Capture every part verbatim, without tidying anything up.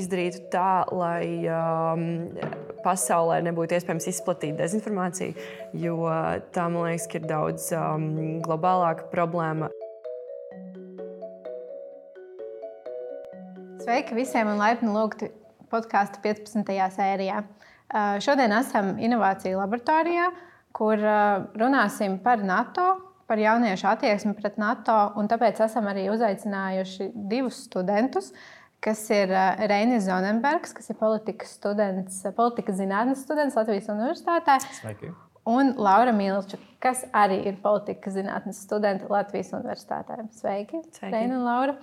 izdarītu tā, lai um, pasaulē nebūtu iespējams izplatīt dezinformāciju, jo tā, man liekas, ka ir daudz um, globālāka problēma. Sveiki visiem un laipni lūgti podkāstu piecpadsmitajā sērijā. Uh, šodien esam inovāciju laboratorijā, kur uh, runāsim par NATO, par jauniešu attieksmi pret NATO, un tāpēc esam arī uzaicinājuši divus studentus, kas ir uh, Reinis Zonenbergs, kas ir politikas students, politikas zinātnes students Latvijas Universitātē. Sveiki. Un Laura Milča, kas arī ir politikas zinātnes studenta Latvijas Universitātē. Sveiki, Sveiki. Reina un Laura.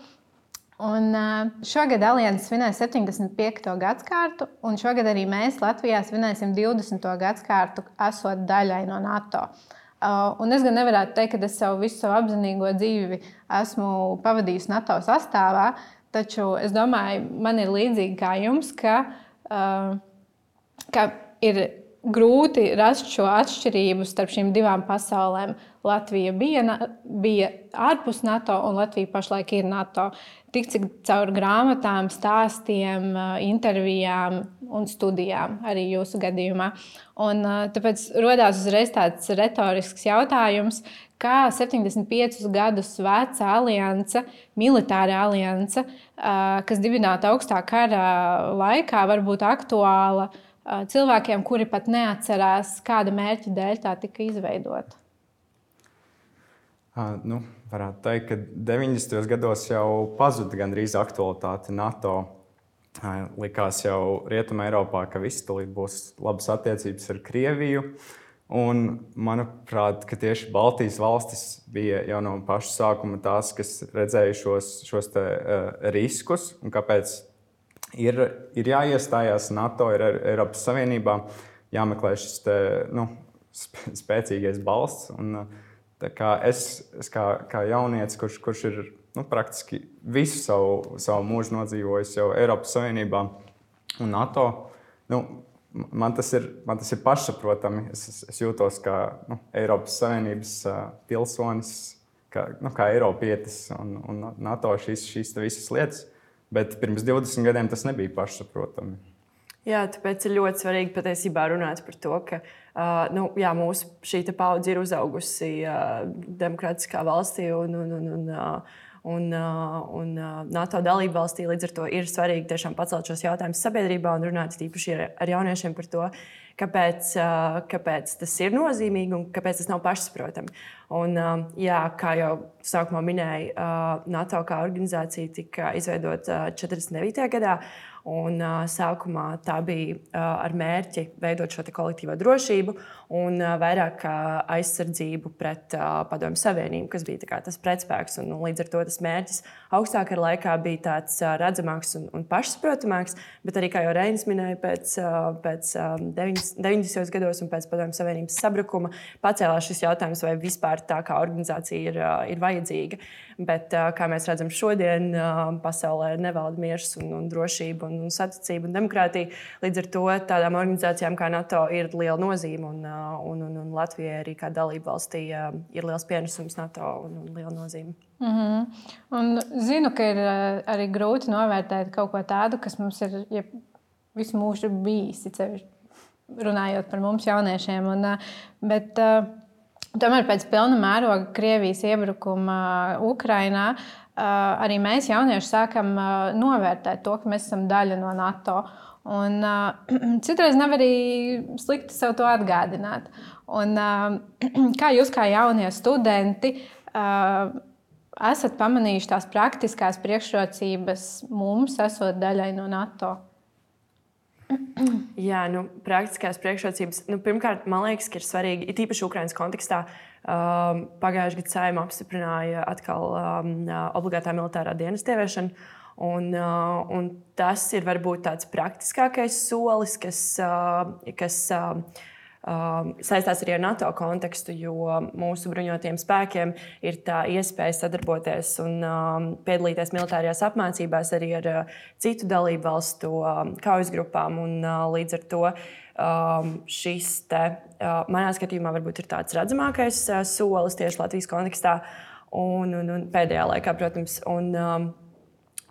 Un šogad Alianse svinēs septiņdesmit piekto gadskārtu, un šogad arī mēs Latvijā svinēsim divdesmito gadskārtu, esot daļai no NATO. Un es gan nevarētu teikt, ka es savu visu savu apzinīgo dzīvi esmu pavadījusi NATO sastāvā, taču es domāju, man ir līdzīgi kā jums, ka, ka ir grūti rast šo atšķirību starp šīm divām pasaulēm. Latvija bija, bija ārpus NATO, un Latvija pašlaik ir NATO. Tik cik caur grāmatām, stāstiem, intervijām un studijām arī jūsu gadījumā. Un tāpēc rodās uzreiz tāds retorisks jautājums, kā septiņdesmit piecus gadus veca alianse, militāra alianse, kas dibināta augstā kara laikā, var būt aktuāla cilvēkiem, kuri pat neatcerās, kāda mērķa dēļ tā tika izveidota. Uh, nu, varētu teikt, ka deviņdesmitajos gados jau pazuda gandrīz aktualitāte NATO. Uh, likās jau Rietumē Eiropā, ka viss tulīt būs labas attiecības ar Krieviju. Un, manuprāt, ka tieši Baltijas valstis bija jau no paša sākuma tās, kas redzēja šos, šos te, uh, riskus un kāpēc ir, ir jāiestājās NATO, ir Eiropas Savienībā, jāmeklē šis te, nu, spēcīgais balsts. Un, Tā kā es, es kā, kā jaunietis, kurš, kurš ir nu, praktiski visu savu, savu mūžu nodzīvojis jau Eiropas Savienībā un NATO, nu, man, tas ir, man tas ir pašsaprotami. Es, es, es jūtos kā nu, Eiropas Savienības uh, pilsonis, kā, nu, kā Eiropietis un, un NATO šīs, šīs visas lietas, bet pirms divdesmit gadiem tas nebija pašsaprotami. Jā, tāpēc ir ļoti svarīgi patiesībā runāt par to, ka uh, nu, jā, mūsu šī paudze ir uzaugusi uh, demokrātiskā valstī un, un, un, un, uh, un, uh, un uh, NATO dalību valstī. Līdz ar to ir svarīgi tiešām pacelt šos jautājumus sabiedrībā un runāt īpaši ar, ar jauniešiem par to, kāpēc, uh, kāpēc tas ir nozīmīgi un kāpēc tas nav pašsaprotami. Un, uh, jā, kā jau sākumā minēju, uh, NATO kā organizācija tika izveidota uh, četrdesmit devītajā gadā. Un, uh, sākumā tā bija uh, ar mērķi veidot šo kolektīvo drošību un uh, vairāk uh, aizsardzību pret uh, Padomju Savienību, kas bija kā, tas pretspēks. Un, un līdz ar to tas mērķis augstākā laikā bija tāds uh, redzamāks un, un pašsaprotamāks, bet arī, kā jau Reinis minēja, pēc, uh, pēc uh, deviņdesmitajos gados un pēc Padomju Savienības sabrukuma pacēlās šis jautājums, vai vispār tā kā organizācija ir, uh, ir vajadzīga. Bet, uh, kā mēs redzam šodien, uh, pasaulē nevalda miers un, un drošība un saticība un demokrātija. Līdz ar to tādām organizācijām kā NATO ir liela nozīme, un, un, un, un Latvijai arī kā dalība valstī ir liels pienesums NATO un, un liela nozīme. Mm-hmm. Un zinu, ka ir arī grūti novērtēt kaut ko tādu, kas mums ir ja visu mūžu bijis, runājot par mums jauniešiem. Un, bet, tomēr pēc pilna mēroga Krievijas iebrukuma Ukrainā arī mēs jaunieši sākam novērtēt to, ka mēs esam daļa no NATO. Un, citreiz nav arī slikti sev to atgādināt. Un, kā jūs kā jaunie studenti esat pamanījuši tās praktiskās priekšrocības mums, esot daļai no NATO? Jā, nu, praktiskās priekšrocības. Nu, pirmkārt, man liekas, ka ir svarīgi, it īpaši Ukrainas kontekstā, um, pagājušajā gadā Saeima apstiprināja atkal um, obligātā militārā dienesta ieviešanu. Un, uh, un tas ir varbūt tāds praktiskākais solis, kas, uh, kas uh, Um, saistās arī ar NATO kontekstu, jo mūsu bruņotajiem spēkiem ir tā iespēja sadarboties un um, piedalīties militārajās apmācībās arī ar uh, citu dalību valstu um, kaujas grupām. Un, uh, līdz ar to um, šis te, uh, manā skatījumā varbūt ir tāds redzamākais uh, solis tieši Latvijas kontekstā un, un, un pēdējā laikā, protams. Un, um,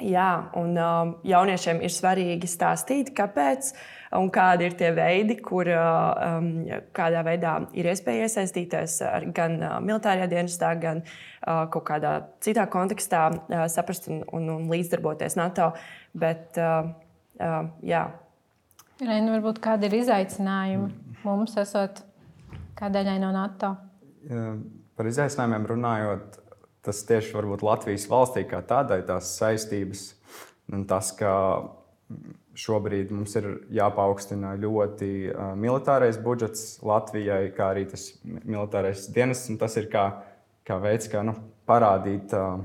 jā, un um, jauniešiem ir svarīgi stāstīt, kāpēc un kādi ir tie veidi, kur um, kādā veidā ir iespēja iesaistīties gan uh, militārajā dienestā, gan uh, kaut kādā citā kontekstā, uh, saprast un, un, un līdzdarboties NATO. Bet, uh, uh, jā. Reina, varbūt kādi ir izaicinājumi mums, esot kā daļai no NATO? Par izaicinājumiem runājot, tas tieši varbūt Latvijas valstī kā tādai tās saistības un tas, ka šobrīd mums ir jāpaukstina ļoti uh, militārais budžets Latvijai, kā arī tas militārais dienests. Tas ir kā, kā veids, kā nu, parādīt uh,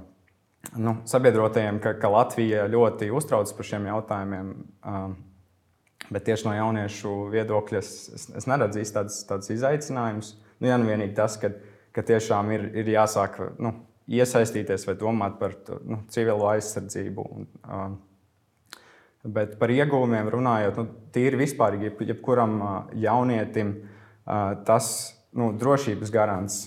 nu, sabiedrotajiem, ka, ka Latvija ļoti uztraucas par šiem jautājumiem. Uh, bet tieši no jauniešu viedokļa es, es, es neredzu īsti tādus, tādus izaicinājumus. Nu, ja nu vienīgi tas, ka, ka tiešām ir, ir jāsāk nu, iesaistīties vai domāt par nu, civilo aizsardzību. Un, uh, bet par ieguvumiem runājot, nu, tīri vispārīgi, jeb, jebkuram uh, jaunietim uh, tas nu, drošības garants,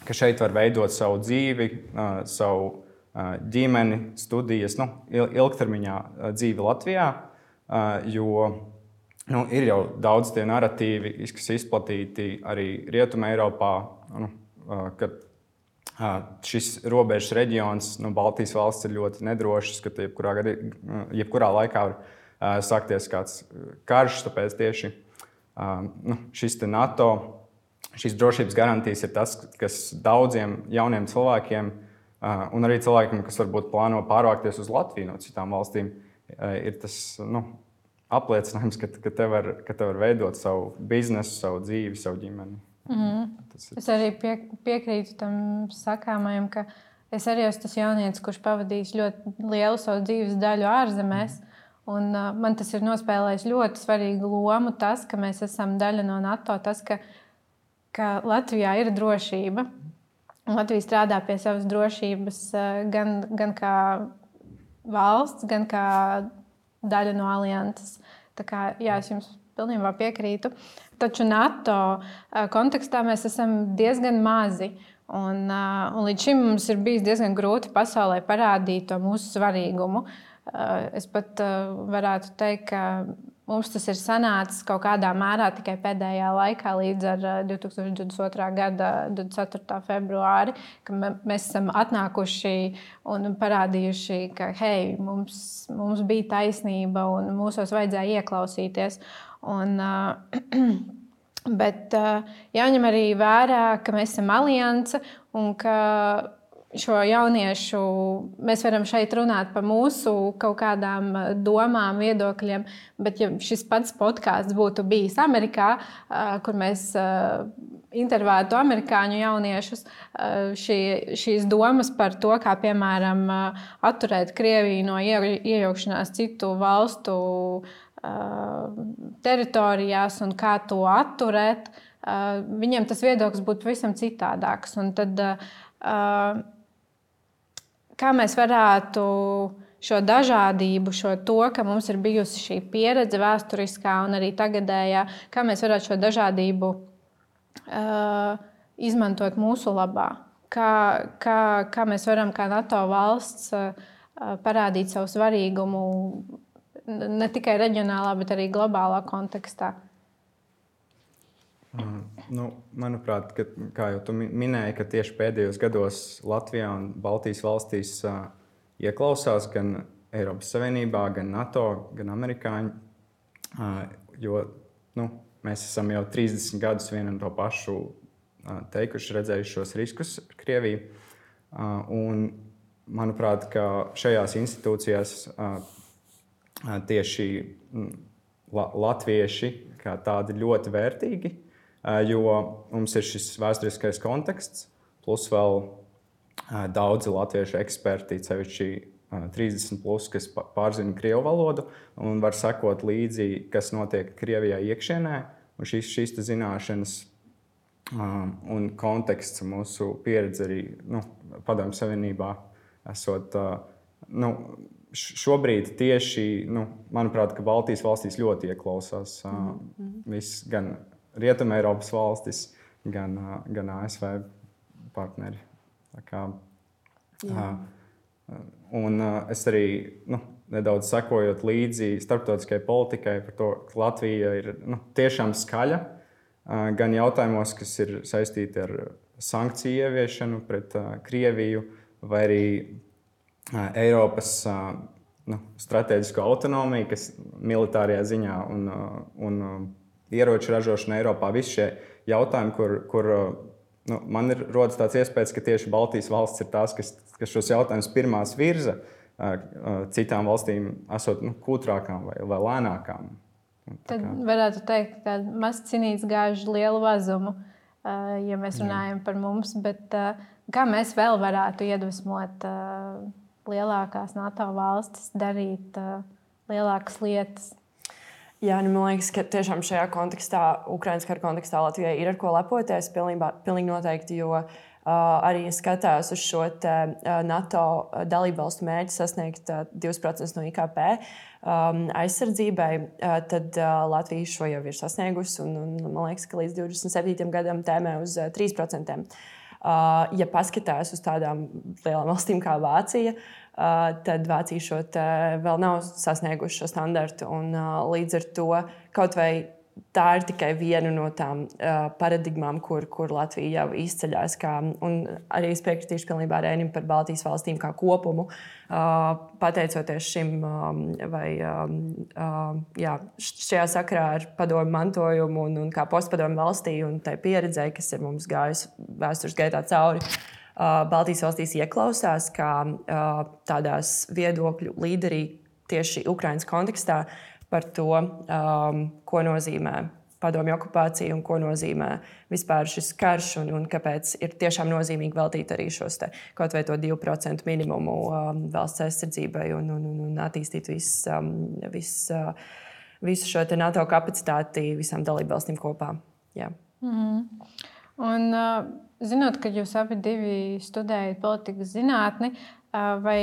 ka šeit var veidot savu dzīvi, uh, savu uh, ģimeni, studijas, nu, ilgtermiņā uh, dzīvi Latvijā, uh, jo nu, ir jau daudz tie narratīvi, kas izplatīti arī Rietumē Eiropā, nu, uh, kad šis robežas reģions, nu, Baltijas valsts ir ļoti nedrošs, ka jebkurā, jebkurā laikā var uh, sākties kāds karš. Tāpēc tieši uh, nu, šis NATO, šīs drošības garantijas ir tas, kas daudziem jauniem cilvēkiem uh, un arī cilvēkiem, kas varbūt plāno pārvākties uz Latviju no citām valstīm, uh, ir tas nu, apliecinājums, ka, ka, te var, ka te var veidot savu biznesu, savu dzīvi, savu ģimeni. Mm. Es arī pie, piekrītu tam sakāmajam, ka es arī esmu tas jaunietis, kurš pavadījis ļoti lielu savu dzīves daļu ārzemēs. Un, uh, man tas ir nospēlējis ļoti svarīgu lomu, tas, ka mēs esam daļa no NATO, tas, ka, ka Latvijā ir drošība. Latvija strādā pie savas drošības uh, gan, gan kā valsts, gan kā daļa no alianses. Tā kā, jā, es jums pilnībā piekrītu. Taču NATO kontekstā mēs esam diezgan mazi. Un, un līdz šim mums ir bijis diezgan grūti pasaulē parādīt to mūsu svarīgumu. Es pat varētu teikt, ka mums tas ir sanācis kaut kādā mērā tikai pēdējā laikā, līdz ar divi tūkstoši divdesmit otrā gada divdesmit ceturtā februāri, ka mēs esam atnākuši un parādījuši, ka hei, mums, mums bija taisnība un mūsos vajadzēja ieklausīties. Un, bet jāņem arī vērā, ka mēs esam alianse un ka šo jauniešu mēs varam šeit runāt par mūsu kaut kādām domām, viedokļiem, bet ja šis pats podkāsts būtu bijis Amerikā, kur mēs intervētu amerikāņu jauniešus, šī, šīs domas par to, kā piemēram atturēt Krieviju no iejaukšanās citu valstu teritorijās un kā to atturēt, viņiem tas viedoklis būtu pavisam citādāks. Un tad, kā mēs varētu šo dažādību, šo to, ka mums ir bijusi šī pieredze vēsturiskā un arī tagadējā, kā mēs varētu šo dažādību izmantot mūsu labā? Kā, kā, kā mēs varam kā NATO valsts parādīt savu svarīgumu ne tikai reģionālā, bet arī globālā kontekstā? Uh, nu, manuprāt, ka, kā jau tu minēji, ka tieši pēdējos gados Latvijā un Baltijas valstīs uh, ieklausās gan Eiropas Savienībā, gan NATO, gan amerikāņi. Uh, jo nu, mēs esam jau trīsdesmit gadus vienu un to pašu uh, teikuši, redzējuši šos riskus ar Krieviju. Uh, un, manuprāt, ka šajās institūcijās uh, tieši la, latvieši kā tādi ļoti vērtīgi, jo mums ir šis vēsturiskais konteksts, plus vēl daudzi latviešu eksperti, sevišķi trīsdesmit plus, kas pārzina krievu valodu un var sekot līdzi, kas notiek Krievijā iekšienē. Un šīs, šīs zināšanas un konteksts mūsu pieredze arī nu, Padomju Savienībā esot nu, šobrīd tieši, nu, manuprāt, ka Baltijas valstīs ļoti ieklausās mm-hmm. viss, gan Rietumē Eiropas valstis, gan, gan A S V partneri. Tā kā, un es arī nu, nedaudz sekojot līdzi starptautiskajai politikai par to, ka Latvija ir nu, tiešām skaļa gan jautājumos, kas ir saistīti ar sankciju ieviešanu pret Krieviju, vai arī Eiropas nu, strateģisko autonomiju, kas militārajā ziņā un, un ieroču ražošana Eiropā, visi šie jautājumi, kur, kur nu, man ir rodas tāds iespējas, ka tieši Baltijas valsts ir tās, kas, kas šos jautājumus pirmās virza, citām valstīm esot nu, kūtrākām vai, vai lēnākām. Tad varētu teikt, ka mazs cinīts gāž lielu vazumu, ja mēs runājam Jā. Par mums, bet kā mēs vēl varētu iedvesmot lielākās NATO valstis darīt lielākas lietas? Jā, nu, man liekas, ka tiešām šajā kontekstā, Ukrainas kara kontekstā Latvijai ir ar ko lepoties, pilnībā, pilnīgi noteikti, jo uh, arī skatās uz šo te, uh, NATO dalībvalstu mērķi sasniegt uh, divus procentus no I K P um, aizsardzībai, uh, tad uh, Latvija šo jau ir sasniegusi, un, un man liekas, ka līdz divdesmit septītajam gadam tēmē uz uh, trīs procentiem. Uh, ja paskatās uz tādām lielām valstīm kā Vācija, uh, tad Vācija šo vēl nav sasnieguši šo standartu. Un, uh, līdz ar to kaut vai tā ir tikai viena no tām uh, paradigmām, kur, kur Latvija jau izceļas. Kā, un arī es piekritīšu pilnībā Rēnim par Baltijas valstīm kā kopumu. Uh, pateicoties šim, um, vai um, uh, jā, šajā sakarā ar padomu mantojumu un, un kā postpadomu valstī un tai pieredzei, kas ir mums gājusi vēstures gaitā cauri, uh, Baltijas valstīs ieklausās kā uh, tādās viedokļu līderī tieši Ukrainas kontekstā par to, um, ko nozīmē padomju okupācija un ko nozīmē vispār šis karš un, un kāpēc ir tiešām nozīmīgi veltīt arī šos te, kaut vai to divu procentu minimumu um, valsts aizsardzībai un, un, un, un attīstīt vis, um, vis, uh, visu šo te NATO kapacitāti visām dalībvalstīm kopā. Jā. Mm-hmm. Un, uh, zinot, ka jūs abi divi studējat politikas zinātni, uh, vai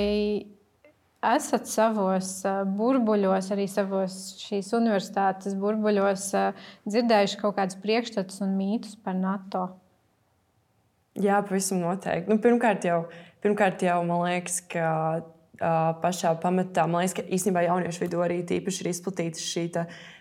esat savos burbuļos, arī savos šīs universitātes burbuļos dzirdējuši kaut kādus priekšstatus un mītus par NATO? Jā, pavisam noteikti. Nu, pirmkārt, jau, pirmkārt jau man liekas, ka uh, pašā pamatā, man liekas, ka īstenībā jauniešu vidū arī tīpaši ir izplatīta šī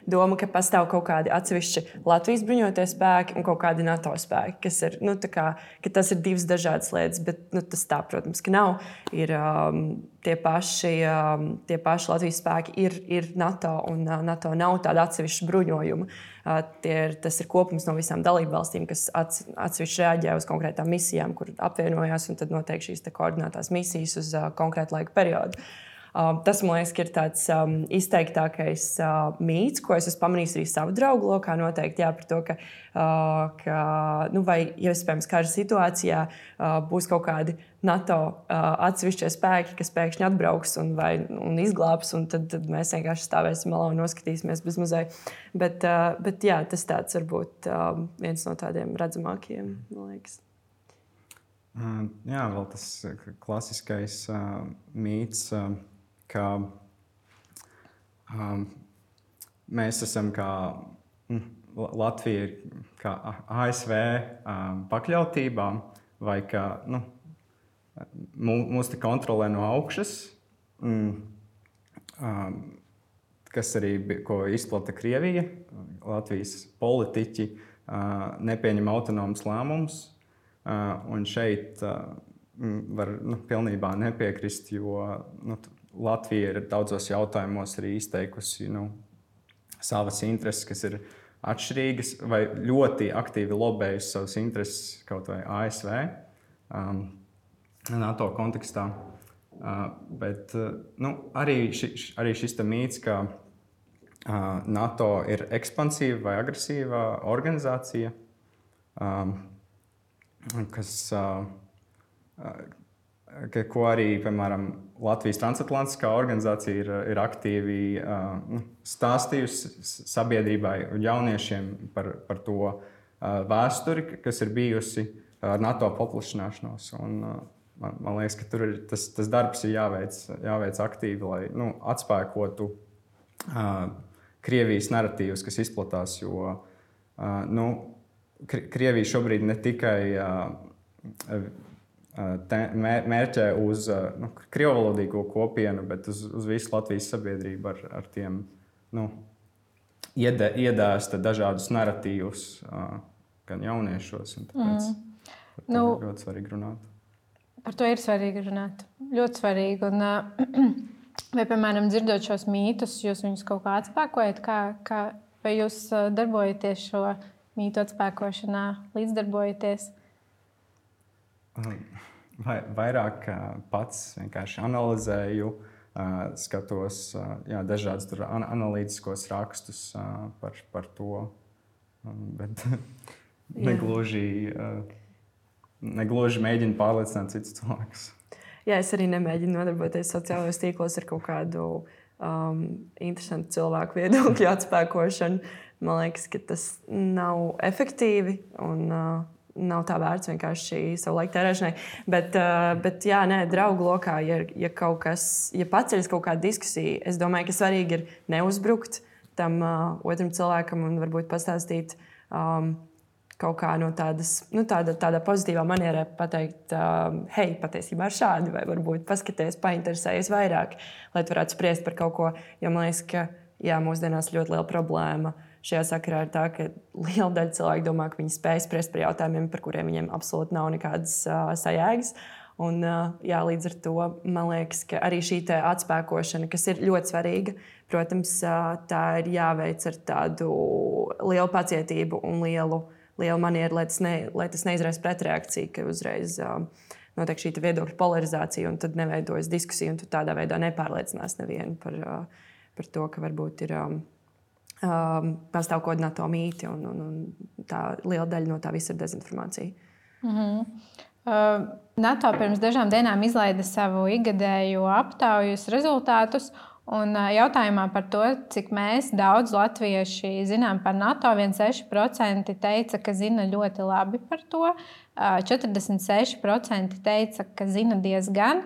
doma, ka pastāv kaut kādi atsevišķi Latvijas bruņotie spēki un kaut kādi NATO spēki, kas ir, nu, tā kā, ka tas ir divas dažādas lietas, bet nu, tas tā, protams, ka nav. Ir um, tie, paši, um, tie paši Latvijas spēki ir, ir NATO, un uh, NATO nav tāda atsevišķa bruņojuma. Uh, ir, tas ir kopums no visām dalībvalstīm, kas ats, atsevišķi reaģē uz konkrētām misijām, kur apvienojās, un tad notiek šīs koordinētās misijas uz uh, konkrētu laika periodu. Uh, tas, man liekas, ir tāds um, izteiktākais uh, mīts, ko es esmu pamanījis arī savu draugu lokā. Noteikti jā, par to, ka, uh, ka nu, vai, ja iespējams, kara situācijā uh, būs kaut kādi NATO uh, atsevišķie spēki, kas pēkšņi atbrauks un, vai, un izglābs, un tad, tad mēs vienkārši stāvēsim malā un noskatīsimies bez muzeja. Bet, uh, bet jā, tas tāds varbūt uh, viens no tādiem redzamākajiem, man liekas. Uh, jā, vēl tas klasiskais uh, mīts. Uh, ka um, mēs esam kā mm, Latvija ir kā A S V um, pakļautībā, vai ka nu, mūs te kontrolē no augšas, mm, um, kas arī ko izplata Krievija. Latvijas politiķi uh, nepieņem autonomus lēmumus, uh, un šeit uh, var nu, pilnībā nepiekrist, jo nu, Latvija ir daudzos jautājumos arī izteikusi nu, savas intereses, kas ir atšķirīgas, vai ļoti aktīvi lobējusi savas intereses kaut vai A S V um, NATO kontekstā. Uh, bet uh, nu, arī, ši, arī šis mīts, ka uh, NATO ir ekspansīva vai agresīva organizācija, um, kas uh, Ka, ko arī, piemēram, Latvijas transatlantiskā organizācija ir, ir aktīvi uh, stāstījusi sabiedrībai un jauniešiem par, par to uh, vēsturi, kas ir bijusi ar NATO paplašināšanos. Un, uh, man, man liekas, ka tur ir, tas, tas darbs ir jāveic, jāveic aktīvi, lai nu, atspēkotu uh, Krievijas naratīvus, kas izplatās. Jo uh, nu, Krievija šobrīd ne tikai uh, te, mērķē uz nu, krievalodīgo kopienu, bet uz, uz visu Latvijas sabiedrību ar, ar tiem nu, iedē, iedēsta dažādus narratīvus gan jauniešos. Tāpēc mm. par to nu, ir ļoti svarīgi runāt. Par to ir svarīgi runāt. Ļoti svarīgi. Un, vai, piemēram, dzirdot šos mītus, jūs viņus kaut kā atspēkojat? Kā, kā, vai jūs darbojaties šo mītu atspēkošanā, līdzdarbojaties? Vai, vairāk pats vienkārši analizēju, skatos jā, dažādus analītiskos rakstus par, par to, bet negluži, negluži mēģinu pārliecināt citus cilvēkus. Jā, es arī nemēģinu nodarboties sociālajos tīklos ar kaut kādu um, interesantu cilvēku viedokļu atspēkošanu. Man liekas, ka tas nav efektīvi un uh, nav tā vērts vienkārši savu laiku tērēšanai. Bet, uh, bet jā, nē, draugu lokā, ja, ja kaut kas, ja paceļas kaut kāda diskusija, es domāju, ka svarīgi ir neuzbrukt tam uh, otram cilvēkam un varbūt pastāstīt um, kaut kā no tādas, nu, tāda, tādā pozitīvā manierē pateikt, uh, hei, patiesībā ir šādi, vai varbūt paskaties, painteresējies vairāk, lai tu varētu spriest par kaut ko. Jo man liekas, ka jā, mūsdienās ļoti liela problēma šajā sakarā ir tā, ka liela daļa cilvēku domā, ka viņi spēj spriest par jautājumiem, par kuriem viņiem absolūti nav nekādas uh, sajēgas. Un, uh, jā, līdz ar to man liekas, ka arī šī atspēkošana, kas ir ļoti svarīga, protams, uh, tā ir jāveic ar tādu lielu pacietību un lielu liela maniera, lai tas, ne, lai tas neizraisa pretreakciju, ka uzreiz uh, notiek šī viedokļa polarizācija un tad neveidojas diskusija, un tu tādā veidā nepārliecinās nevienu par, uh, par to, ka varbūt ir um, um, pastāv kaut kāda NATO mīti, un, un, un tā liela daļa no tā visa ir dezinformācija. Mm-hmm. Uh, NATO pirms dažām dienām izlaida savu ikgadējo aptaujas rezultātus. Un jautājumā par to, cik mēs daudz latvieši zinām par NATO, viens komats seši procenti teica, ka zina ļoti labi par to, četrdesmit seši procenti teica, ka zina diezgan,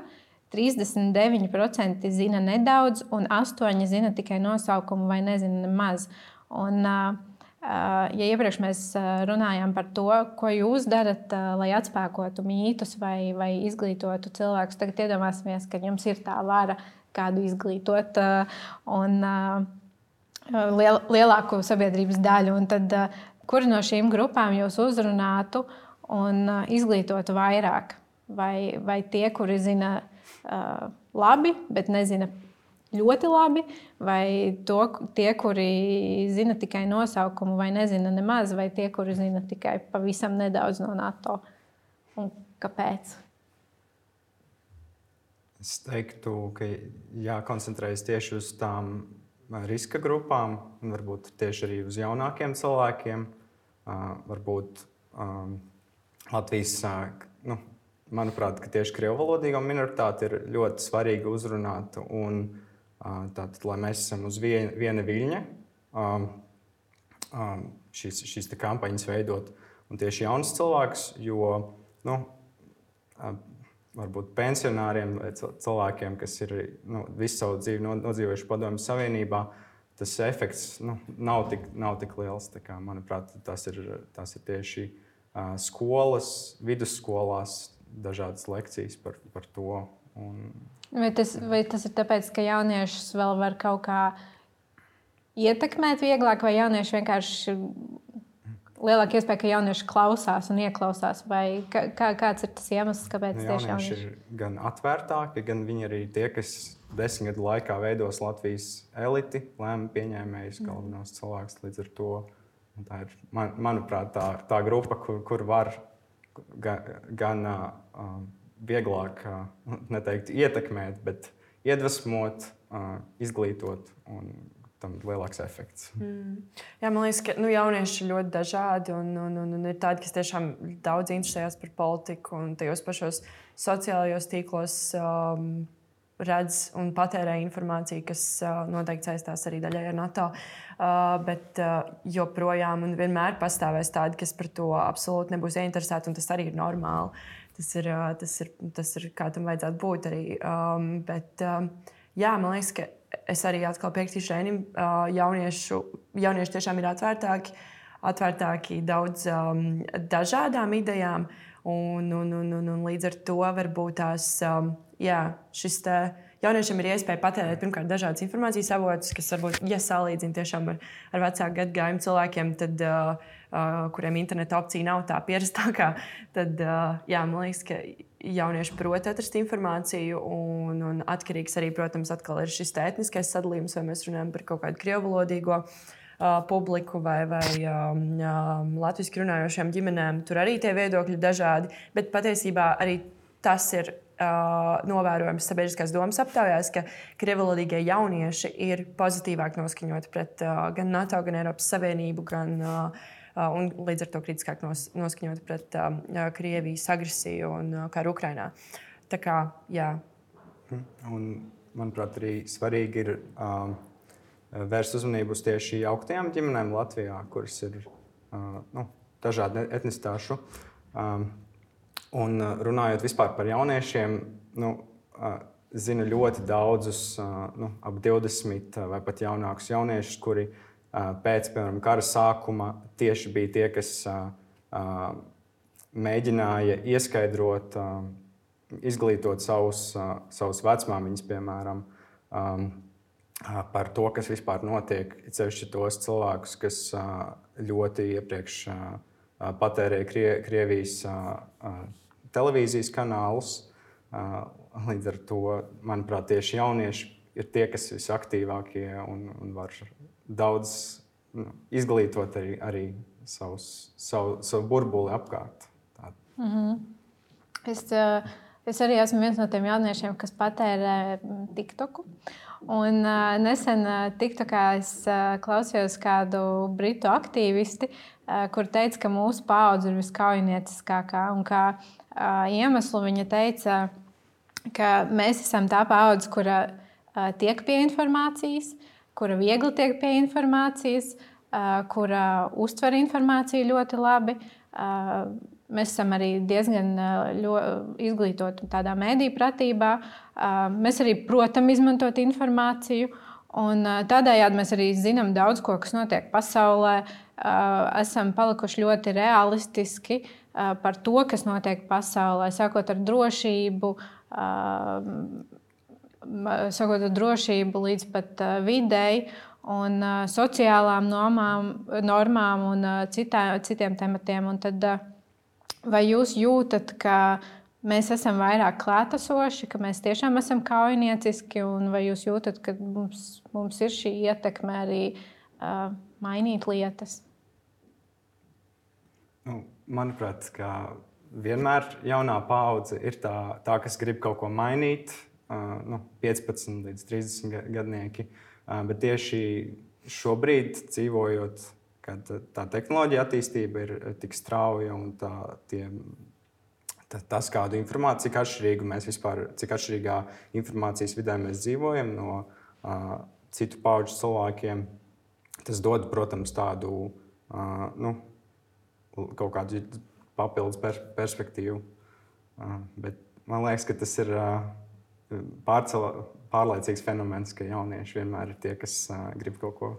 trīsdesmit deviņi procenti zina nedaudz, un astoņi procenti zina tikai nosaukumu vai nezina nemaz. Un, ja iepriekš mēs runājām par to, ko jūs darat, lai atspēkotu mītus vai, vai izglītotu cilvēkus, tagad iedomāsimies, ka jums ir tā vara kādu izglītot un liel, lielāku sabiedrības daļu. Un tad, kuri no šīm grupām jūs uzrunātu un izglītotu vairāk? Vai, vai tie, kuri zina uh, labi, bet nezina ļoti labi, vai to, tie, kuri zina tikai nosaukumu vai nezina nemaz, vai tie, kuri zina tikai pavisam nedaudz no NATO? Un kāpēc? Es teiktu, ka jākoncentrējas tieši uz tām riska grupām, un varbūt tieši arī uz jaunākiem cilvēkiem. Varbūt Latvijas, nu, manuprāt, ka tieši krievalodīgo minoritāti ir ļoti svarīgi uzrunāt, un tātad, lai mēs esam uz viena, viena viļņa, šīs, šīs te kampaņas veidot, un tieši jaunas cilvēkus, jo, nu, varbūt pensionāriem vai cilvēkiem, kas ir nu, visu savu dzīvi nodzīvojuši Padomju Savienībā, tas efekts nu, nav, tik, nav tik liels. Tā kā, manuprāt, tas ir, tas ir tieši uh, skolas, vidusskolās dažādas lekcijas par, par to. Un... Vai, tas, vai tas ir tāpēc, ka jauniešus vēl var kaut kā ietekmēt vieglāk, vai jaunieši vienkārši... Lielāka iespēja, ka jaunieši klausās un ieklausās, vai kā, kāds ir tas iemesls, kāpēc nu, tieši jaunieši jaunieši ir gan atvērtāki, gan viņi arī tie, kas desmit gadu laikā veidos Latvijas eliti, lēmumu pieņēmējus, galvenos cilvēkus līdz ar to. Un tā ir, man, manuprāt, tā, tā grupa, kur, kur var gan, gan uh, vieglāk, uh, neteikt ietekmēt, bet iedvesmot, uh, izglītot un tam ir lielāks efekts. Mm. Jā, man liekas, ka nu, jaunieši ir ļoti dažādi un, un, un, un ir tādi, kas tiešām daudz interesējas par politiku un tajos pašos sociālajos tīklos um, redz un patērē informāciju, kas uh, noteikti saistās arī daļai ar NATO. Uh, bet uh, joprojām un vienmēr pastāvēs tādi, kas par to absolūti nebūs ieinteresēti, un tas arī ir normāli. Tas ir, uh, tas ir, tas ir kā tam vajadzētu būt arī. Um, bet, um, jā, man liekas, ka es arī atkal piekrītu Šēnim, jauniešu, jaunieši tiešām ir atvērtāki, atvērtāki daudz um, dažādām idejām. Un, un, un, un, un līdz ar to varbūt tās, um, jā, šis te jauniešiem ir iespēja patērēt pirmkārt dažādas informācijas avotus, kas varbūt, ja salīdzina tiešām ar, ar vecāku gadagājumu cilvēkiem, tad, uh, uh, kuriem interneta opcija nav tā pierastākā, tad, uh, jā, man liekas, ka jaunieši prot atrast informāciju un, un atkarīgs arī, protams, atkal ir šis etniskais sadalījums, vai mēs runājam par kaut kādu krievvalodīgo publiku vai, vai um, um, latviski runājošām ģimenēm. Tur arī tie viedokļi dažādi, bet patiesībā arī tas ir uh, novērojams sabiedriskās domas aptaujās, ka krievvalodīgie jaunieši ir pozitīvāk noskaņoti pret uh, gan NATO, gan Eiropas Savienību, gan uh, uh, un līdz ar to kritiskāk nos, noskaņoti pret uh, Krievijas agresiju un uh, karu Ukrainā. Tā kā, jā. Un, manuprāt, arī svarīgi ir um, vērst uzmanību uz tieši jauktajām ģimenēm Latvijā, kuras ir uh, nu, dažādu etnistāšu. Um, un runājot vispār par jauniešiem, nu, uh, zinu ļoti daudzus, uh, nu, ap divdesmit vai pat jaunākus jauniešus, kuri uh, pēc, piemēram, kara sākuma tieši bija tie, kas uh, uh, mēģināja ieskaidrot, uh, izglītot savus, uh, savus vecmāmiņus, piemēram, um, par to, kas vispār notiek. It sevišķi tos cilvēkus, kas ļoti iepriekš patērēja Krie, Krievijas televīzijas kanālus. Līdz ar to, manuprāt, tieši jaunieši ir tie, kas ir visaktīvākie un, un var daudz nu, izglītot arī, arī savus, savu, savu burbuli apkārt. Mm-hmm. Es, es arī esmu viens no tiem jauniešiem, kas patērē TikToku. Un, uh, nesen uh, TikTokā es uh, klausījos kādu britu aktīvisti, uh, kur teica, ka mūsu paudze ir viskaujinieciskākā. Un kā uh, iemeslu viņa teica, ka mēs esam tā paudze, kura uh, tiek pie informācijas, kura viegli tiek pie informācijas, uh, kura uztver informāciju ļoti labi. Uh, Mēs esam arī diezgan izglītoti tādā mēdīju pratībā. Mēs arī protam izmantot informāciju. Un tādējādi mēs arī zinām daudz ko, kas notiek pasaulē. Esam palikuši ļoti realistiski par to, kas notiek pasaulē. Sākot ar drošību, sākot ar drošību līdz pat videi un sociālām normām, normām un citā, citiem tematiem. Un tad, vai jūs jūtat, ka mēs esam vairāk klātesoši, ka mēs tiešām esam kaujinieciski, un vai jūs jūtat, ka mums, mums ir šī ietekme arī uh, mainīt lietas? Nu, manuprāt, ka vienmēr jaunā paudze ir tā, tā kas grib kaut ko mainīt, uh, nu, piecpadsmit līdz trīsdesmit gadnieki, uh, bet tieši šobrīd dzīvojot, kad tā tehnoloģija attīstība ir tik strauja un tā, tie, tā, tas, kādu informāciju, cik atšķirīgu mēs vispār, cik atšķirīgā informācijas vidē mēs dzīvojam no uh, citu paudžu cilvēkiem, tas dod, protams, tādu uh, nu, kaut kādu papildus per, perspektīvu. Uh, bet man liekas, ka tas ir uh, pārcela, pārlaicīgs fenomens, ka jaunieši vienmēr ir tie, kas uh, grib kaut ko,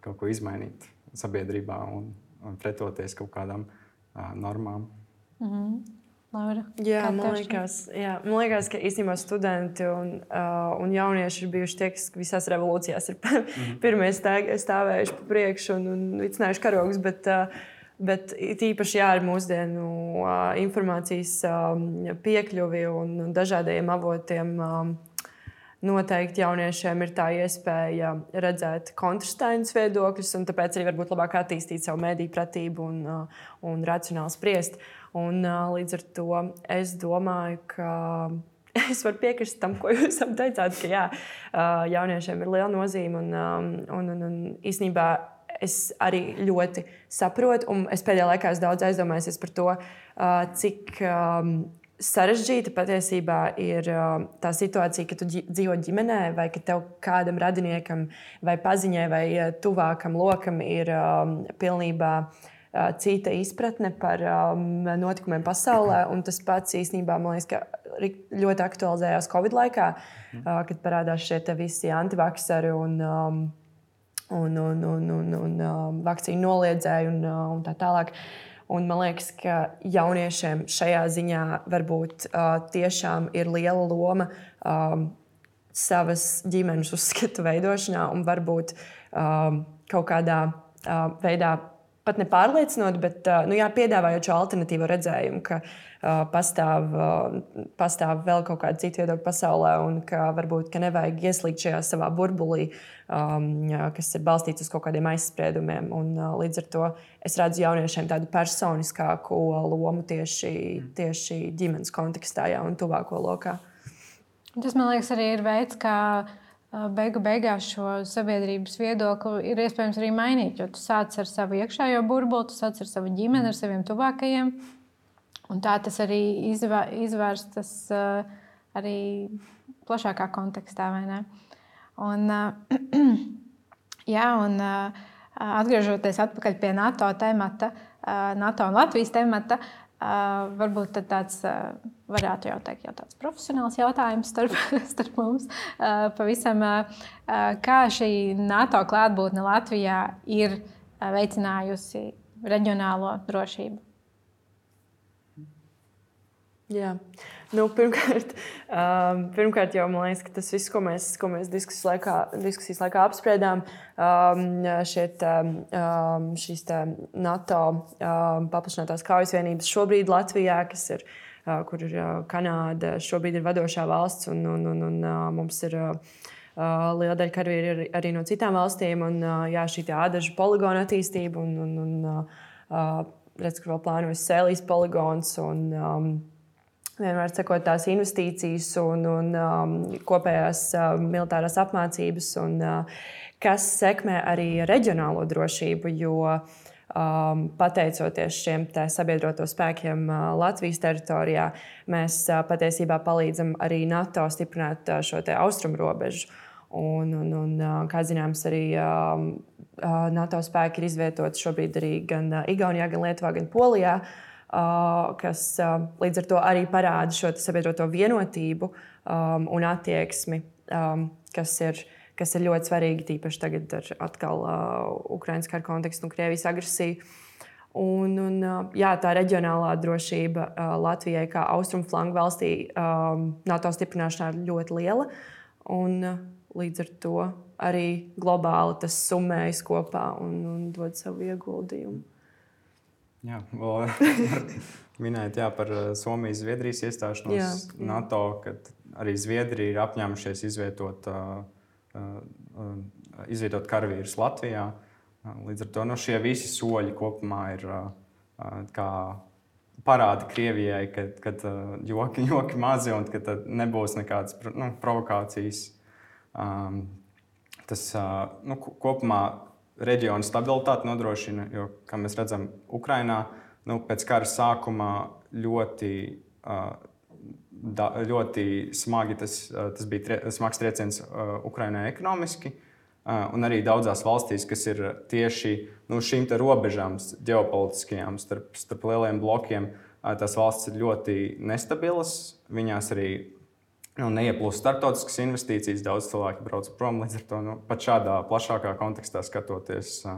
kaut ko izmainīt sabiedrībā un, un pretoties kaut kādām uh, normām. Mm-hmm. Laura, jā, man liekas, jā, man liekas, ka īstenībā studenti un, uh, un jaunieši ir bijuši tie, kas visās revolūcijās ir mm-hmm. pirmie stāvējuši pa priekšu un, un vicinājuši karogus, bet, uh, bet tīpaši jā, ar mūsdienu uh, informācijas um, piekļuvi un, un dažādiem avotiem um, noteikti jauniešiem ir tā iespēja redzēt kontrastainus viedokļus, un tāpēc arī varbūt labāk attīstīt savu mediju pratību un, un racionāli spriest. Un, līdz ar to es domāju, ka es varu piekrist tam, ko jūs teicāt, ka jā, jauniešiem ir liela nozīme. Un, un, un, un īstenībā es arī ļoti saprotu, un es pēdējā laikā esmu daudz aizdomājies par to, cik sarežģīta patiesībā ir uh, tā situācija, ka tu dzīvo ģimenē, vai ka tev kādam radiniekam, vai paziņai, vai uh, tuvākam lokam ir um, pilnībā uh, cita izpratne par um, notikumiem pasaulē. Un tas pats īstenībā, man liekas, ka ļoti aktualizējās Covid laikā, uh, kad parādās šie visi antivakseri un, um, un, un, un, un, un um, vakcīnu noliedzēji un, uh, un tā tālāk. Un man liekas, ka jauniešiem šajā ziņā varbūt uh, tiešām ir liela loma um, savas ģimenes uzskatu veidošanā un varbūt um, kaut kādā uh, veidā pat nepārliecinot, bet uh, nu, jā, piedāvājot šo alternatīvo redzējumu, ka uh, pastāv, uh, pastāv vēl kaut kāda cita viedokļa pasaulē un ka varbūt ka nevajag ieslīgt šajā savā burbulī, um, jā, kas ir balstīts uz kaut kādiem aizspriedumiem. Un, uh, līdz ar to es redzu jauniešiem tādu personiskāku lomu tieši, tieši ģimenes kontekstā jā, un tuvāko lokā. Tas, man liekas, arī ir veids, kā beigu beigās šo sabiedrības viedokli ir iespējams arī mainīt. Jo tu sāc ar savu iekšējo burbuli, tu sāc ar savu ģimeni, ar saviem tuvākajiem. Un tā tas arī izvērstas arī plašākā kontekstā, vai ne? Un, jā, un atgriežoties atpakaļ pie NATO temata, NATO un Latvijas temata, Uh, varbūt tāds, uh, varētu jau teikt, jau tāds profesionāls jautājums starp, starp mums. Uh, pavisam, uh, kā šī NATO klātbūtne Latvijā ir uh, veicinājusi reģionālo drošību? Jā. Nu, pirmkārt, um, pirmkārt, jau man liekas, ka tas viss, ko mēs, ko mēs diskusijas, laikā, diskusijas laikā apspriedām, um, šiet, um, šīs tā NATO um, paplašinātās kaujas vienības šobrīd Latvijā, kas ir, uh, kur ir uh, Kanāda, šobrīd ir vadošā valsts, un, un, un, un uh, mums ir uh, liela daļa karavīri arī no citām valstīm, un uh, jā, šī tā ādažu poligona attīstība, un, un, un uh, redz, ka vēl plānojas Sēlijas poligons, un um, vienmēr sekot tās investīcijas un, un um, kopējās uh, militārās apmācības, un, uh, kas sekmē arī reģionālo drošību, jo um, pateicoties šiem sabiedroto spēkiem uh, Latvijas teritorijā, mēs uh, patiesībā palīdzam arī NATO stiprināt uh, šo te austrumu robežu. Un, un, un, uh, kā zināms, arī um, uh, NATO spēki ir izvietoti šobrīd arī gan uh, Igaunijā, gan Lietuvā, gan Polijā. Uh, kas uh, līdz ar to arī parāda šo sabiedroto vienotību um, un attieksmi, um, kas, ir, kas ir ļoti svarīgi, tīpaši tagad ar atkal uh, Ukrainas kara kontekstu un Krievijas agresiju. Un, un, uh, jā, tā reģionālā drošība uh, Latvijai kā austrumu flangu valstī um, NATO stiprināšanā ir ļoti liela. Un, uh, līdz ar to arī globāli tas summējas kopā un, un dod savu ieguldījumu. Jā, vēl minēt jā, par Somijas-Zviedrijas iestāšanos jā, jā. NATO, kad arī Zviedrija ir apņēmušies izvietot, uh, uh, izvietot karavīrus Latvijā. Līdz ar to nu, šie visi soļi kopumā ir uh, kā parādi Krievijai, kad, kad uh, joki, joki mazi un kad nebūs nekādas nu, provokācijas. Um, tas uh, nu, kopumā reģiona stabilitāti nodrošina, jo, kā mēs redzam, Ukrainā nu, pēc kara sākumā ļoti, uh, da, ļoti smagi tas, uh, tas bija tre, smags trieciens uh, Ukrainai ekonomiski, uh, un arī daudzās valstīs, kas ir tieši nu, šīm te robežām ģeopolitiskajām starp, starp lieliem blokiem, uh, tās valstis ir ļoti nestabilas, viņās arī nu, neieplūst starptautiskas investīcijas, daudz cilvēki brauc prom. Līdz ar to nu, pat šādā plašākā kontekstā skatoties, uh,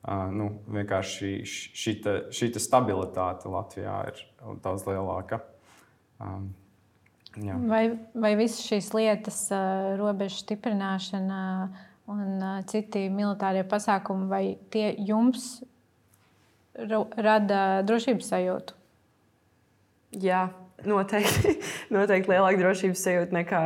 uh, nu, vienkārši šīta, šīta stabilitāte Latvijā ir daudz lielāka. Um, jā. vai, vai visas šīs lietas, uh, robežu stiprināšana un uh, citi militārie pasākumi, vai tie jums rada drošības sajūtu? Jā. Noteikti, noteikti lielāka drošības sajūta nekā,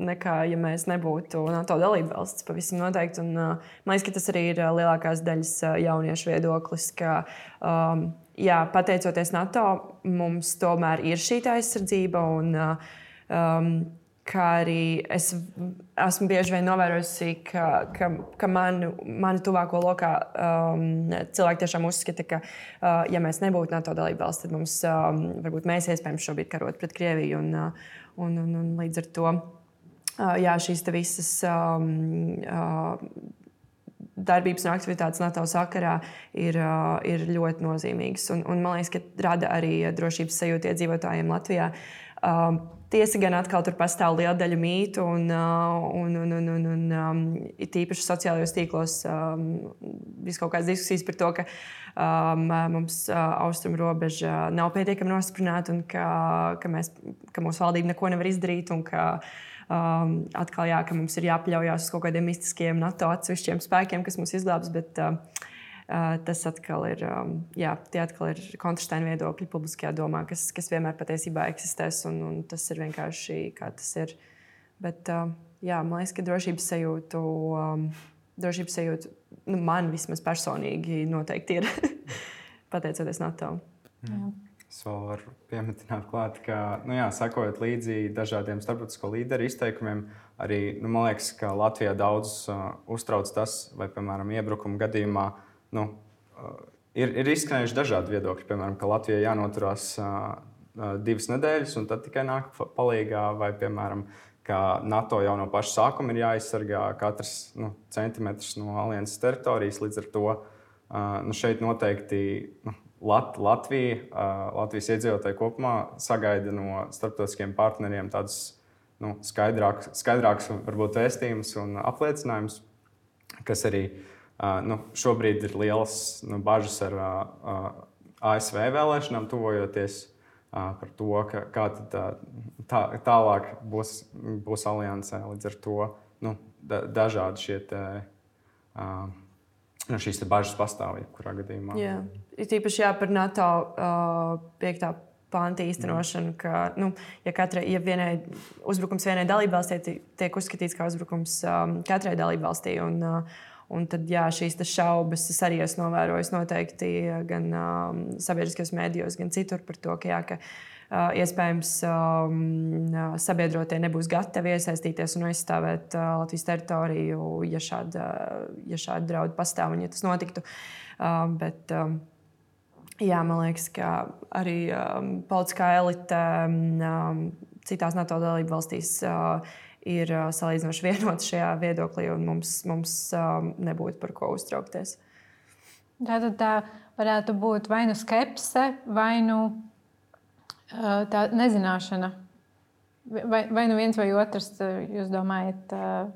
nekā, ja mēs nebūtu NATO dalībvalsts. Pavisam noteikti. Un, uh, man liekas, ka tas arī ir lielākās daļas jauniešu viedoklis, ka, um, jā, pateicoties NATO, mums tomēr ir šī aizsardzība. Un, uh, um, kā arī es esmu bieži vien novērojusi, ka, ka, ka mani, mani tuvāko lokā um, cilvēki tiešām uzskata, ka, uh, ja mēs nebūtu NATO dalībvalsts, tad mums um, varbūt mēs iespējams šobrīd karot pret Krieviju. Un, un, un, un līdz ar to uh, jā, šīs visas um, uh, darbības un aktivitātes NATO sakarā ir, uh, ir ļoti nozīmīgas. Un, un man liekas, ka rada arī drošības sajūtu iedzīvotājiem Latvijā. Uh, tiesa gan atkal tur pastāv liela daļa mītu, un, uh, un, un, un, un, un um, it īpaši sociālajos tīklos um, ir kaut kādas diskusijas par to, ka um, mums uh, austrumu robeža nav pietiekami nostiprināta un ka, ka, mēs, ka mūsu valdība neko nevar izdarīt. Un ka, um, atkal, jā, ka mums ir jāpaļaujas uz kaut kādiem mistiskiem NATO atsevišķiem spēkiem, kas mūs izglābs. Bet, uh, Uh, tas atkal ir, um, jā, tie atkal ir kontrasteini viedokļi publiskajā domā, kas, kas vienmēr patiesībā eksistēs, un, un tas ir vienkārši kā tas ir. Bet, uh, jā, man liekas, ka drošības sajūtu, um, drošības sajūtu nu, man vismaz personīgi noteikti ir pateicoties NATO. Jā. Es vēl varu piemetināt klāt, ka, nu jā, sakojot līdzi dažādiem starptautisko līderu izteikumiem, arī, nu, man liekas, ka Latvijā daudz uh, uztrauc tas, vai, piemēram, iebrukuma gadījumā Nu, ir, ir izskanējuši dažādi viedokļi, piemēram, ka Latvijai jānoturās uh, divas nedēļas, un tad tikai nāk palīgā, vai, piemēram, ka NATO jau no paša sākuma ir jāaizsargā katrs nu, centimetrs no alianses teritorijas. Līdz ar to uh, nu, šeit noteikti nu, Lat, Latvija, uh, Latvijas iedzīvotāji kopumā sagaida no starptautiskiem partneriem tādus nu, skaidrākus, skaidrākus varbūt vēstījumus un apliecinājumus, kas arī Uh, nu, šobrīd ir liels nu, bažas ar uh, A S V vēlēšanām, tuvojoties uh, par to, ka, kā tad, uh, tā, tālāk būs, būs aliansē. Līdz ar to nu, da, dažādi šie te, uh, nu, šīs te bažas pastāv jebkurā gadījumā. Jā, ir tīpaši jā, par NATO uh, piektā panta īstenošanu, ka, nu, ja, katrai, ja vienai, uzbrukums vienai dalībvalstī tiek uzskatīts kā uzbrukums um, katrai dalībvalstī. Un, uh, Un tad jā, šīs šaubas es arī esmu novērojis noteikti gan um, sabiedriskajos mēdījos, gan citur par to, ka, jā, ka uh, iespējams um, sabiedrotie nebūs gatavi iesaistīties un aizstāvēt uh, Latvijas teritoriju, ja šāda, ja šāda drauda pastāv un ja tas notiktu. Uh, bet, um, jā, man liekas, ka arī um, politiskā elite um, citās NATO dalību valstīs uh, ir uh, salīdzinoši vienoti šajā viedoklī, un mums, mums um, nebūtu par ko uztraukties. Tātad tā varētu būt vai nu skepse, vai nu uh, tā nezināšana. Vai, vai nu viens vai otrs, jūs domājat, uh,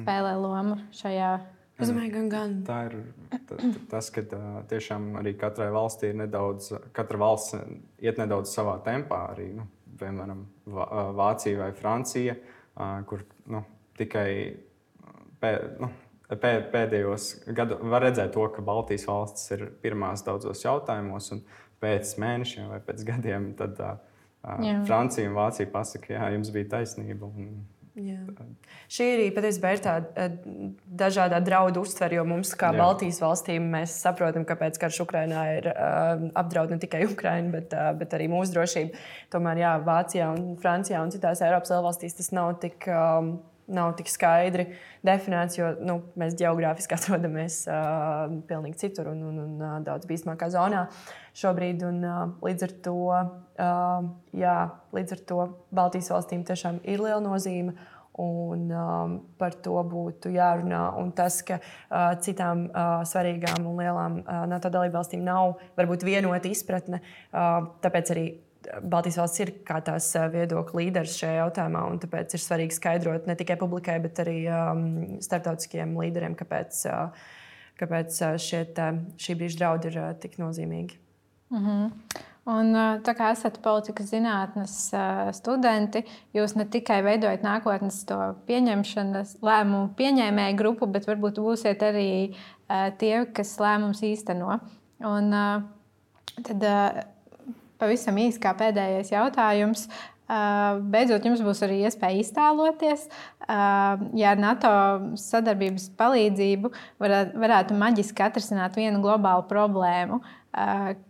spēlē lomu šajā? Es domāju, gan, gan. Tā ir t, t, tas, ka uh, tiešām arī katrai valstī ir nedaudz, katra valsts iet nedaudz savā tempā arī, nu, piemēram, Vācija vai Francija, kur nu, tikai pē, nu, pē, pēdējos gados var redzēt to, ka Baltijas valstis ir pirmās daudzos jautājumos, un pēc mēnešiem vai pēc gadiem tad uh, Francija un Vācija pasaka, jā, jums bija taisnība. Un, Jā. Šī arī patiesībā ir tāda dažādā draudu uztvere, jo mums, kā Jā. Baltijas valstīm, mēs saprotam, kāpēc karš Ukrainā ir uh, apdraud ne tikai Ukrainu, bet, uh, bet arī mūsu drošību. Tomēr jā, Vācijā un Francijā un citās Eiropas valstīs tas nav tik, um, nav tik skaidri definēts, jo nu, mēs ģeogrāfiski atrodamies uh, pilnīgi citur un, un, un uh, daudz bīstamākā zonā šobrīd. Un, uh, līdz ar to, uh, jā, līdz ar to Baltijas valstīm tiešām ir liela nozīme. Un, um, par to būtu jārunā. Un tas, ka uh, citām uh, svarīgām un lielām uh, NATO dalībvalstīm nav varbūt vienota izpratne, uh, tāpēc arī Baltijas valsts ir kā tās viedokļu līderis šajā jautājumā. Tāpēc ir svarīgi skaidrot ne tikai publikai, bet arī um, starptautiskiem līderiem, kāpēc, uh, kāpēc šie, tā, šī brīža draudi ir uh, tik nozīmīgi. Mm-hmm. Un, tā kā esat politikas zinātnes studenti, jūs ne tikai veidojat nākotnes to pieņemšanas lēmumu pieņēmēju grupu, bet varbūt būsiet arī tie, kas lēmums īsteno. Un tad pavisam īsi kā pēdējais jautājums. Beidzot, jums būs arī iespēja iztēloties, ja ar NATO sadarbības palīdzību varētu maģiski atrisināt vienu globālu problēmu.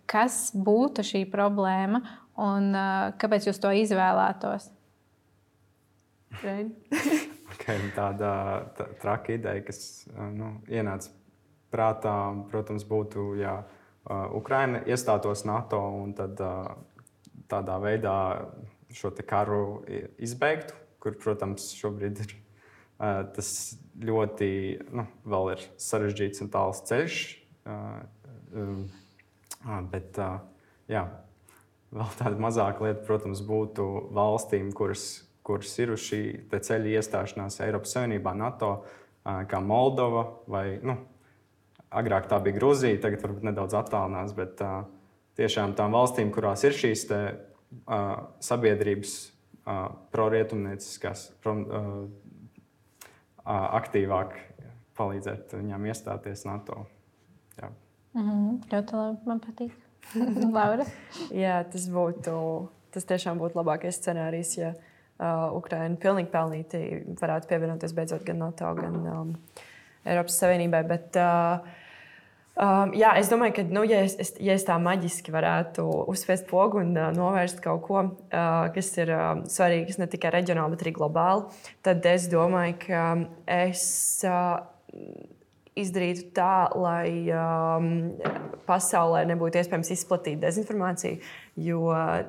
Kas būtu šī problēma un kāpēc jūs to izvēlētos? Okay, tāda tā, traka ideja, kas nu, ienāca prātā, protams, būtu, ja Ukraina iestātos NATO un tad tādā veidā šo te karu izbeigtu, kur, protams, šobrīd ir tas ļoti nu, vēl ir sarežģīts un tāls ceļš. Bet, jā, vēl tāda mazāka lieta, protams, būtu valstīm, kuras, kuras ir uz šī ceļa iestāšanās Eiropas Savienībā, NATO, kā Moldova vai, nu, agrāk tā bija Gruzija, tagad varbūt nedaudz attālinās, bet uh, tiešām tām valstīm, kurās ir šīs te, uh, sabiedrības uh, prorietumnieciskās, pro, uh, uh, aktīvāk palīdzēt viņām iestāties NATO. Jā. Mm-hmm. Ļoti labi, man patīk. Laura? Jā, tas būtu, tas tiešām būtu labākais scenārijs, ja uh, Ukraina pilnīgi pelnīti varētu pievienoties beidzot gan NATO, gan um, Eiropas Savienībai. Bet, uh, um, jā, es domāju, ka, nu, ja, es, ja es tā maģiski varētu uzspiest pogu un uh, novērst kaut ko, uh, kas ir uh, svarīgs ne tikai reģionāli, bet arī globāli, tad es domāju, ka es uh, izdarītu tā, lai um, pasaulē nebūtu iespējams izplatīt dezinformāciju, jo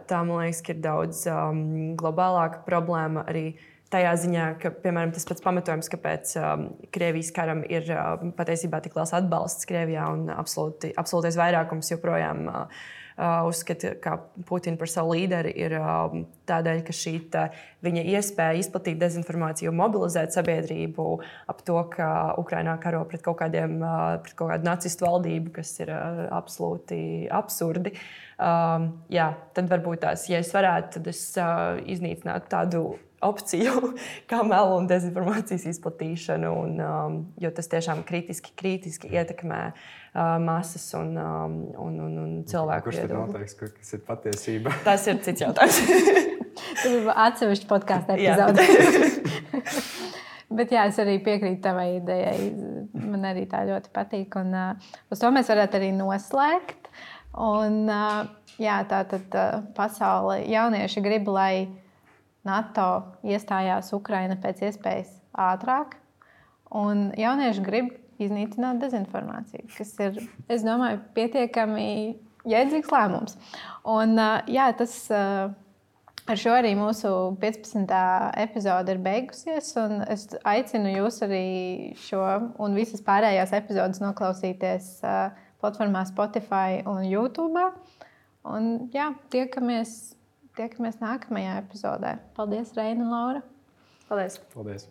tā, man liekas, ka ir daudz um, globālāka problēma arī tajā ziņā, ka, piemēram, tas pats pamatojums, kāpēc um, Krievijas karam ir uh, patiesībā tik liels atbalsts Krievijā un absolūti, absolūtais vairākums joprojām uh, uh, uzskata, ka Putina par savu līderi, ir uh, tādēļ, ka šī tā, viņa iespēja izplatīt dezinformāciju un mobilizēt sabiedrību ap to, ka Ukrainā karo pret kaut, kādiem, uh, pret kaut kādu nacistu valdību, kas ir uh, absolūti absurdi. Um, jā, tad varbūt tās, ja es varētu, tad es uh, iznīcinātu tādu opciju, kā melu un dezinformācijas izplatīšanu, un, um, jo tas tiešām kritiski, kritiski ietekmē uh, masas un, um, un, un, un cilvēku viedokli. Kurš tad noteiks, kas ir patiesība? Tas ir cits jautājums. Tas ir atsevišķi podkāstu epizode. Bet jā, es arī piekrītu tavai idejai. Man arī tā ļoti patīk. Un, uh, uz to mēs varētu arī noslēgt. Un, uh, jā, tā tad uh, pasaule jaunieši grib, lai NATO iestājās Ukraina pēc iespējas ātrāk, un jaunieši grib iznīcināt dezinformāciju, kas ir, es domāju, pietiekami jēdzīgs lēmums. Un, jā, tas ar šo arī mūsu piecpadsmitā epizode ir beigusies, un es aicinu jūs arī šo un visas pārējās epizodes noklausīties platformā Spotify un YouTube. Un, jā, tiekamies Tiekamies nākamajā epizodē. Paldies, Reina un Laura. Paldies. Paldies.